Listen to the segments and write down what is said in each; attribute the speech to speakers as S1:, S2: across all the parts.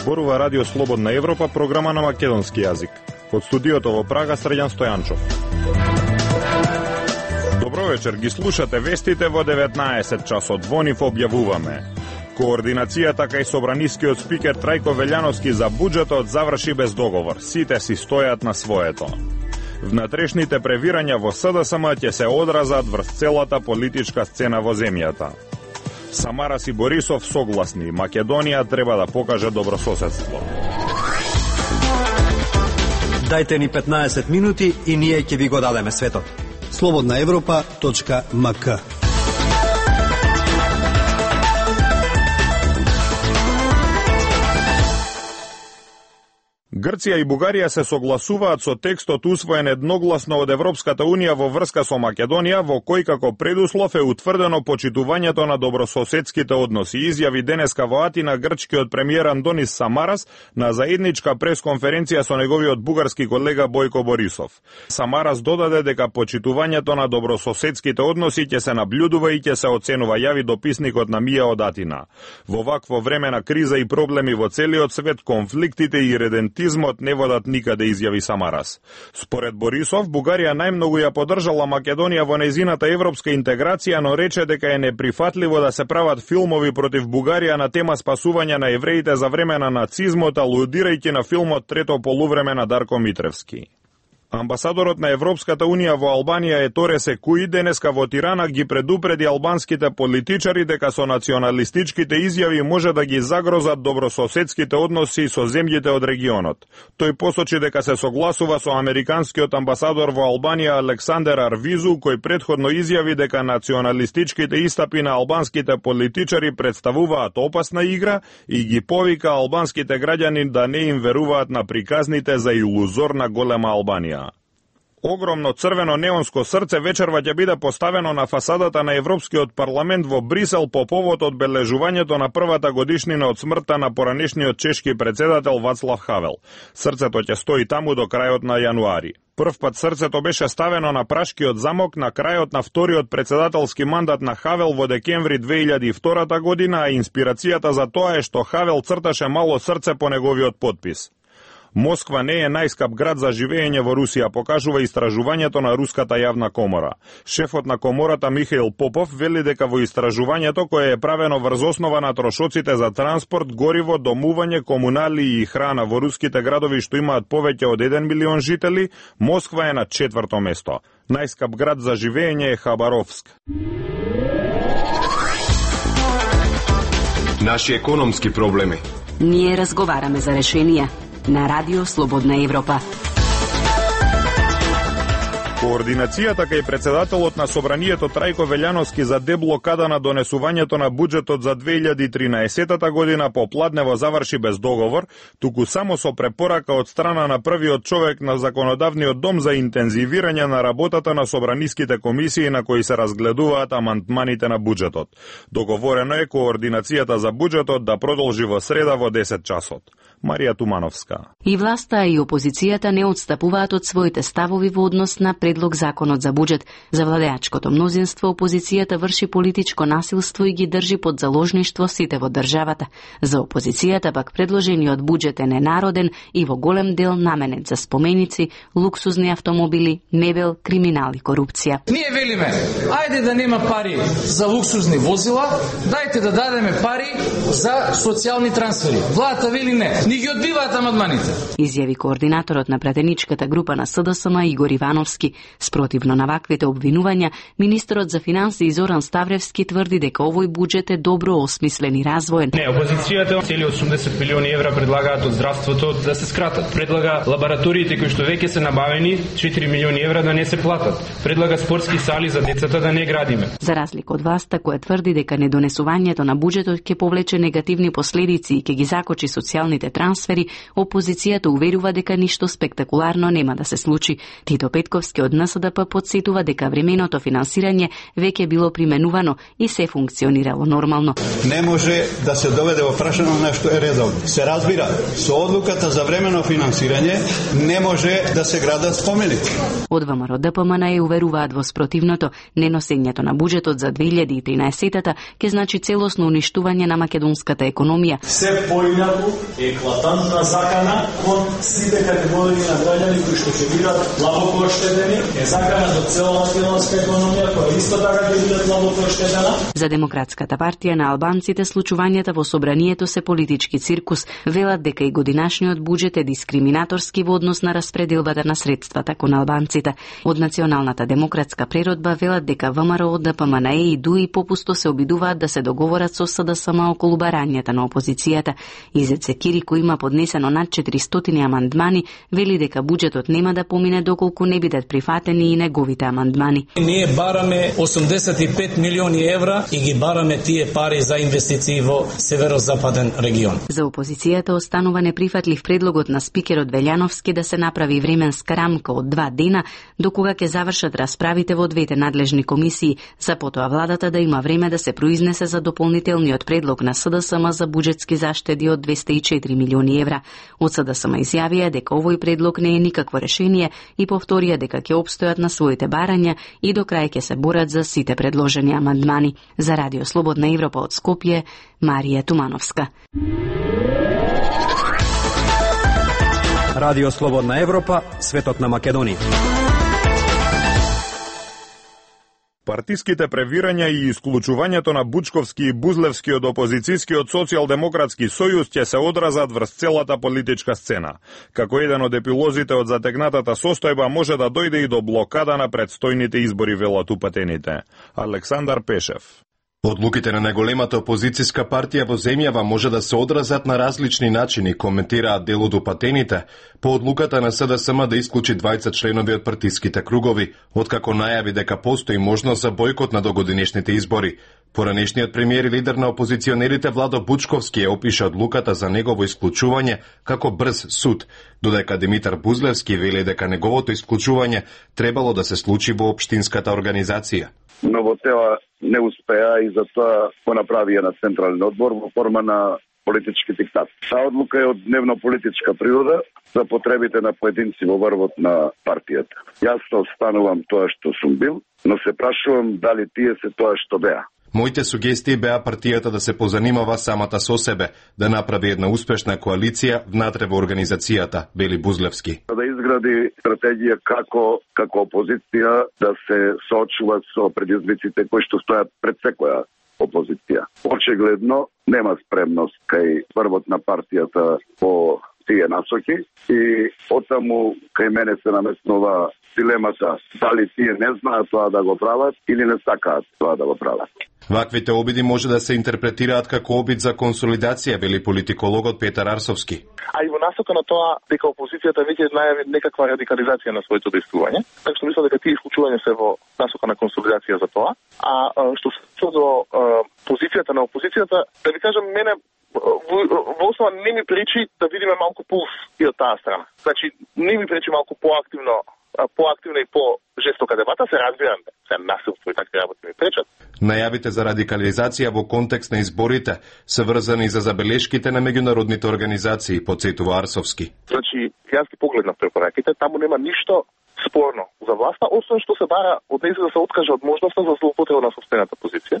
S1: Зборува Радио Слободна Европа, програма на македонски јазик. Од студиото во Прага, Среќан Стојанчов. Добро вечер, ги слушате вестите во 19 часот. Во нив објавуваме: координацијата кај собранискиот спикер Трајко Велјановски за буџетот заврши без договор. Сите си стојат на своето. Внатрешните превирања во СДСМ ќе се одразат врз целата политичка сцена во земјата. Самарас и Борисов согласни, Македонија треба да покаже добрососедство.
S2: Дајте ни 15 минути и ние ќе ви го дадеме светот. slobodnaevropa.mk.
S1: Грција и Бугарија се согласуваат со текстот усвоен едногласно од Европската Унија во врска со Македонија, во кој како предуслов е утврдено почитувањето на добрососедските односи, изјави денеска во Атина грчкиот премиер Андонис Самарас на заедничка пресконференција со неговиот бугарски колега Бојко Борисов. Самарас додаде дека почитувањето на добрососедските односи ќе се наблюдува и ќе се оценува, јави дописникот на МИА од Атина. Во вакво време на криза и проблеми во целиот свет, конфликтите и редентизмот не водат никаде, изјави Самарас. Според Борисов, Бугарија најмногу ја поддржала Македонија во нејзината европска интеграција, но рече дека е неприфатливо да се прават филмови против Бугарија на тема спасување на евреите за време на нацизмот, алудирајќи на филмот Трето полувреме на Дарко Митревски. Амбасадорот на Европската Унија во Албанија Еторе Секуи денеска во Тирана ги предупреди албанските политичари дека со националистичките изјави може да ги загрозат добрососедските односи со земјите од регионот. Тој посочи дека се согласува со американскиот амбасадор во Албанија Александер Арвизу, кој претходно изјави дека националистичките истапи на албанските политичари представуваат опасна игра и ги повика албанските граѓани да не им веруваат на приказните за илузорна голема Албанија. Огромно црвено неонско срце вечерва ќе биде поставено на фасадата на Европскиот парламент во Брисел по повод одбележувањето на првата годишнина од смртта на поранешниот чешки председател Вацлав Хавел. Срцето ќе стои таму до крајот на јануари. Прв пат срцето беше ставено на Пражкиот замок на крајот на вториот председателски мандат на Хавел во декември 2002 година, а инспирацијата за тоа е што Хавел црташе мало срце по неговиот потпис. Москва не е најскап град за живење во Русија, покажува истражувањето на Руската јавна комора. Шефот на комората Михаил Попов вели дека во истражувањето, кое е правено врз основа на трошоците за транспорт, гориво, домување, комунали и храна во руските градови што имаат повеќе од 1 милион жители, Москва е на 4-то место. Најскап град за живење е Хабаровск.
S3: Наши економски проблеми.
S4: Ние разговараме за решенија на Радио Слободна Европа.
S1: Координацијата кај председателот на Собранието Трајко Велјановски за деблокада на донесувањето на буџетот за 2013 година попладнево заврши без договор, туку само со препорака од страна на првиот човек на Законодавниот дом за интензивирање на работата на собраниските комисии на кои се разгледуваат амандманите на буџетот. Договорено е координацијата за буџетот да продолжи во среда во 10 часот. Марија Тумановска.
S4: И власта и опозицијата не отстапуваат од своите ставови во однос на предлог законот за буџет. За владеачкото мнозинство опозицијата врши политичко насилство и ги држи под заложништво сите во државата. За опозицијата пак предложениот буџет е ненароден и во голем дел наменет за споменици, луксузни автомобили, мебел, криминал и корупција.
S5: Ние велиме, ајде да нема пари за луксузни возила, дајте да дадеме пари за социјални трансфери. Владата вели не. Ни ги одбиваат амандманите.
S4: Изјави координаторот на пратеничката група на СДСМ Игор Ивановски. Спротивно на ваквите обвинувања, министерот за финансии Зоран Ставревски тврди дека овој буџет е добро осмислен и развоен.
S6: Не, опозицијата цели 80 милиони евра предлагаат од здравството да се скратат. Предлага лабораториите кои што веќе се набавени 4 милиони евра да не се платат. Предлага спортски сали за децата да не градиме.
S4: За разлика од власта која тврди дека недонесувањето на буџетот ќе повлече негативни последици и ќе ги закочи социјалните трансфери, опозицијата уверува дека ништо спектакуларно нема да се случи. Тито Петковски од НСДП подсетува дека временото финансирање веќе било применувано и се функционирало нормално.
S7: Не може да се доведе во прашање нешто е редовно. Се разбира, со одлуката за времено финансирање не може да се градат споменици.
S4: Од ВМРО ДПМН уверуваат во спротивното. Неносењето на буџетот за 2013-та ќе значи целосно уништување на македонската економија.
S8: Се поинаку е
S3: еклатантна закана кон сите категории на граѓани кои што ќе бидат длабоко оштетени, е закана до цела македонска економија која исто така ќе биде длабоко оштетена.
S4: За Демократската партија на албанците случувањата во собранието се политички циркус, велат дека и годинашниот буџет е дискриминаторски во однос на распределбата на средствата кон албанците. Од Националната демократска преродба велат дека ВМРО, ДПМНЕ и ДУИ попусто се обидуваат да се договорат со СДСМ околу барањата на опозицијата. Изеце Кирико има поднесено над 400 амандмани, вели дека буџетот нема да помине доколку не бидат прифатени и неговите амандмани.
S3: Ние бараме 85 милиони евра и ги бараме тие пари за инвестиции во северозападен регион.
S4: За опозицијата останува неприфатлив предлогот на спикерот Велјановски да се направи временска рамка од 2 дена до кога ќе завршат расправите во двете надлежни комисии, за потоа владата да има време да се произнесе за дополнителниот предлог на СДСМ за буџетски заштеди од 204 милиони евра. Од СДСМ изјавија дека овој предлог не е никакво решение и повторија дека ќе обстојат на своите барања и до крај ќе се борат за сите предложени амандмани. За Радио Слободна Европа од Скопје, Марија Тумановска.
S2: Радио Слободна Европа, светот на Македонија.
S1: Партиските превирања и исклучувањето на Бучковски и Бузлевски од опозицијскиот социјалдемократски сојуз ќе се одразат врз целата политичка сцена. Како еден од епилозите од затегнатата состојба може да дојде и до блокада на предстојните избори, велат упатените. Александар Пешев.
S8: Одлуките на најголемата опозицијска партија во земјава може да се одразат на различни начини, коментираат дел од упатените, по одлуката на СДСМ да исклучи 20 членови од партиските кругови, откако најави дека постои можност за бојкот на догодинешните избори. Поранешниот премиер и лидер на опозиционерите Владо Бучковски ја опиша одлуката за негово исклучување како брз суд, додека Димитар Бузлевски вели дека неговото исклучување требало да се случи во општинската организација.
S9: Но во тела не успеа и затоа го направија на Централен одбор во форма на политички диктат. Таа одлука е од дневно-политичка природа за потребите на поединци во врвот на партијата. Јас останувам тоа што сум бил, но се прашувам дали тие се тоа што беа.
S8: Моите сугестии беа партијата да се позанимава самата со себе, да направи една успешна коалиција внатре во организацијата, вели Бузлевски.
S9: Да изгради стратегија како опозиција да се соочува со предизвиците кои што стојат пред секоја опозиција. Очигледно нема спремност кај врвот на партијата по тие насоки и отаму кај мене се наместнува дилемата дали тие не знаат тоа да го прават или не сакаат тоа да го прават.
S8: Ваквите обиди може да се интерпретираат како обид за консолидација, вели политикологот Петар Арсовски.
S10: А и во насока на тоа дека опозицијата веќе најави некаква радикализација на своето действување, така што мислам дека тие исклучувања се во насока на консолидација за тоа. А што се случува до позицијата на опозицијата, да ви кажам, мене во основа не ми пречи да видиме малку пулс и од таа страна. Значи, не ми пречи малку поактивна и по-жестока дебата, се разбирам, се насилство и такви работи ми пречат.
S8: Најавите за радикализација во контекст на изборите се врзани за забелешките на меѓународните организации, подсетува Арсовски.
S10: Значи, јас ги погледнав препораките, таму нема ништо спорно за власта, освен што се бара од нејзе да се откаже од можноста за злоупотреба на собствената позиција.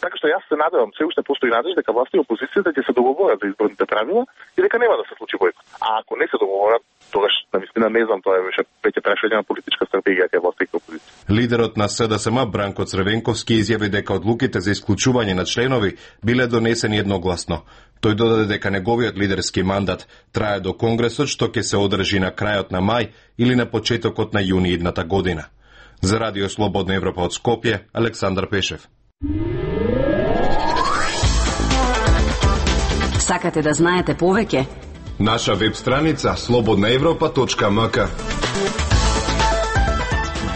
S10: Така што јас се надевам, се уште постои надеж дека власта и опозицијата ќе се договорат за изборните правила и дека нема да се случи бојкот. А ако не се договорат, тогаш навистина не знам, тоа е веќе прашање на политичка стратегија кај власта и опозиција.
S8: Лидерот на СДСМ Бранко Црвенковски изјави дека одлуките за исклучување на членови биле донесени едногласно. Тој додаде дека неговиот лидерски мандат трае до Конгресот, што ќе се одржи на крајот на мај или на почетокот на јуни идната година. За Радио Слободна Европа од Скопје, Александар Пешев.
S4: Сакате да знаете повеќе?
S8: Наша веб страница slobodnaevropa.mk.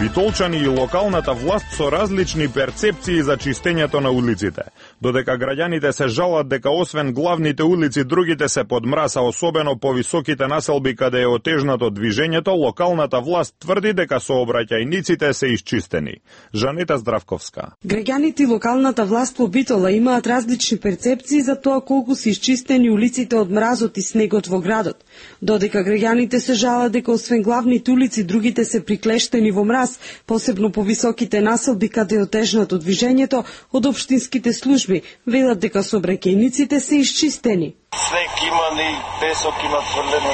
S1: Битолчани и локалната власт со различни перцепции за чистењето на улиците. Додека граѓаните се жалат дека освен главните улици, другите се под мраса, особено по високите населби каде е отежнато движењето, локалната власт тврди дека сообраќајниците се исчистени. Жанета Здравковска.
S11: Граѓаните и локалната власт во Битола имаат различни перцепции за тоа колку се исчистени улиците од мразот и снегот во градот. Додека граѓаните се жалат дека освен главните улици, другите се приклештени во мраз, посебно по високите населби каде е отежнато движењето, од општинските служби велат дека сообраќајниците се исчистени.
S12: Снег има, ни песок има тврлено.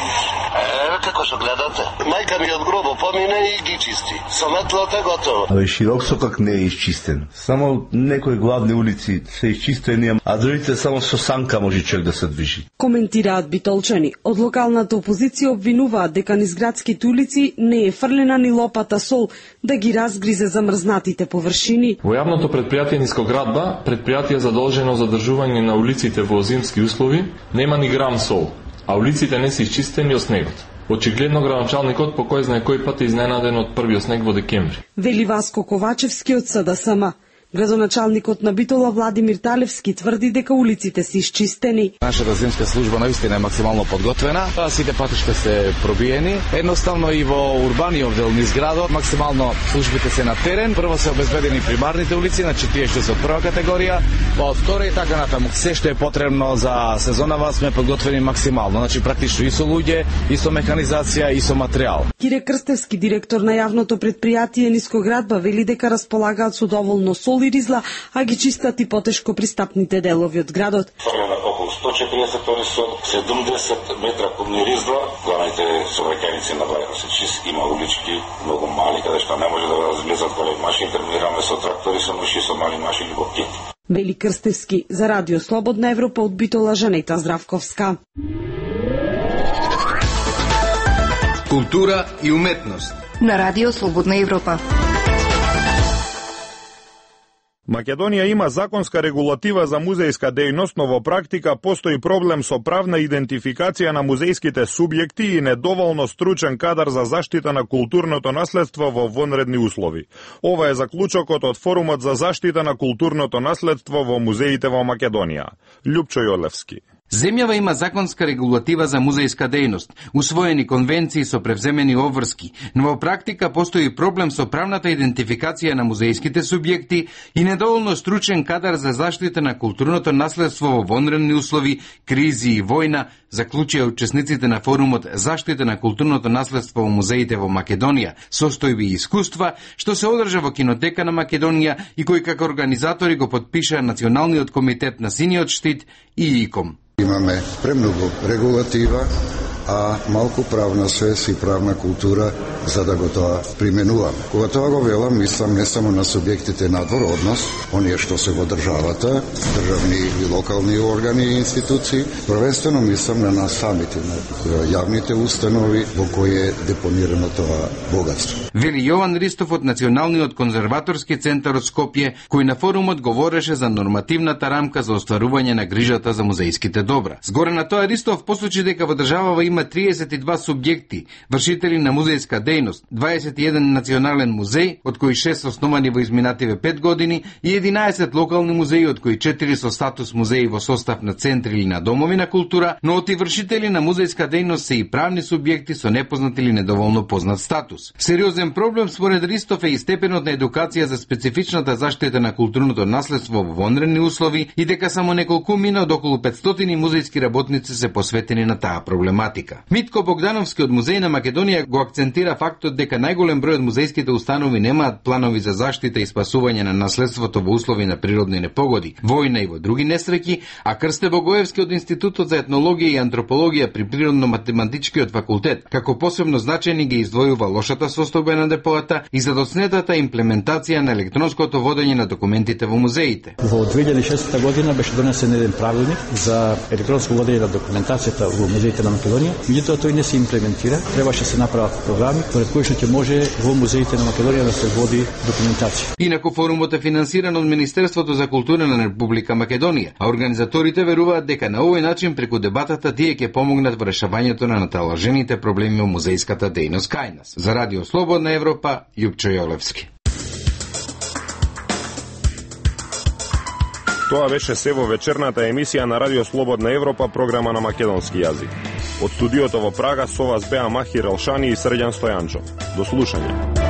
S12: Како што гледате? Мајка ми од гробо помине и ги чисти. Со метлата готово.
S13: Абе, широк сокак не е изчистен. Само некои главни улици се изчистени, а другите само со санка може човек да се движи.
S11: Коментираат битолчани. Од локалната опозиција обвинуваат дека низ градските улици не е фрлена ни лопата сол да ги разгризе замрзнатите површини.
S14: Во јавното предпријатие Нискоградба, предпријатие задолжено за одржување на улиците во зимски услови, нема ни грам сол, а улиците не се изчистени од снегот. Очигледно градоначалникот по кој знае кој пат е изненаден од првиот снег во декември.
S11: Вели Васко Ковачевски од СДСМ. Градоначалникот на Битола Владимир Талевски тврди дека улиците се изчистени.
S15: Нашата зимска служба наистина е максимално подготвена. Сите патишта се пробиени. Едноставно и во урбаниот дел низ градот максимално службите се на терен. Прво се обезбедени примарните улици, значи тие што се од прва категорија, па од втора и така натаму. Се што е потребно за сезонава сме подготвени максимално. Значи практично и со луѓе, и со механизација, и со материјал.
S11: Кире Крстевски, директор на јавното предпријатие Нискоградба, вели дека располагаат со доволно сол и ризла, а ги чистат и потешко пристапните делови од градот.
S12: Фрлена околу 140 тони сол, 70 метра кубни ризла, главните сообраќајници на Бајра се чисти, има улички многу мали, каде што не може да разлезат големи машини, терминираме со трактори, со муши, со мали машини во кит.
S11: Вели Крстевски, за Радио Слободна Европа од Битола Жанета Здравковска.
S16: Култура и уметност
S17: на Радио Слободна Европа.
S1: Македонија има законска регулатива за музејска дејност, но во практика постои проблем со правна идентификација на музејските субјекти и недоволно стручен кадар за заштита на културното наследство во вонредни услови. Ова е заклучокот од Форумот за заштита на културното наследство во музеите во Македонија. Љупчо Јолевски.
S16: Земјава има законска регулатива за музејска дејност, усвоени конвенции со превземени обврски, но во практика постои проблем со правната идентификација на музејските субјекти и недоволно стручен кадар за заштита на културното наследство во вонредни услови, кризи и војна, заклучија учесниците на форумот Заштита на културното наследство во музеите во Македонија, состојби и искуства, што се одржа во Кинотека на Македонија и кој како организатори го подпиша Националниот комитет на Синиот штит и ИКОМ.
S18: Имаме премногу регулатива, а малку правна свест и правна култура за да го тоа применуваме. Кога тоа го велам, мислам не само на субјектите надвор од нас, оние што се во државата, државни и локални органи и институции, првенствено мислам на нас самите, на јавните установи во кои е депонирано тоа богатство.
S16: Вели Јован Ристов од Националниот конзерваторски центар од Скопје, кој на форумот говореше за нормативната рамка за остварување на грижата за музејските добра. Згоре на тоа Ристов посочи дека во државава има 32 субјекти, вршители на музејска дејност, 21 национален музеј, од кои 6 основани во изминативе 5 години и 11 локални музеи, од кои 4 со статус музеи во состав на центри или на домови на култура, но оти вршители на музејска дејност се и правни субјекти со непознат или недоволно познат статус. Сериозен проблем според Ристов е и степенот на едукација за специфичната заштита на културното наследство во вонредни услови и дека само неколкумина од околу 500 музејски работници се посветени на таа проблематика. Митко Богдановски од Музеј на Македонија го акцентира фактот дека најголем број од музејските установи немаат планови за заштита и спасување на наследството во услови на природни непогоди, војна и во други несреќи, а Крсте Богоевски од Институтот за етнологија и антропологија при Природно-математичкиот факултет како посебно значајни ги издвојува лошата состојба на депоата и задоцнетата имплементација на електронското водење на документите во музеите.
S19: Во 2006 година беше донесен еден правилник за електронско водење на документацијата во музеите на Македонија. Меѓутоа тој не се имплементира, требаше се направат програми според кои што ќе може во музеите на Македонија да се води документација.
S16: Инаку форумот е финансиран од Министерството за култура на Република Македонија, а организаторите веруваат дека на овој начин преку дебатата тие ќе помогнат во решавањето на наталажените проблеми во музејската дејност кај нас. За Радио Слободна Европа, Љупчо Јолевски.
S1: Тоа беше се во вечерната емисија на Радио Слободна Европа, програма на македонски јазик. Од студиото во Прага со вас беа Махир Елшани и Срđan Стојанчов. До слушање.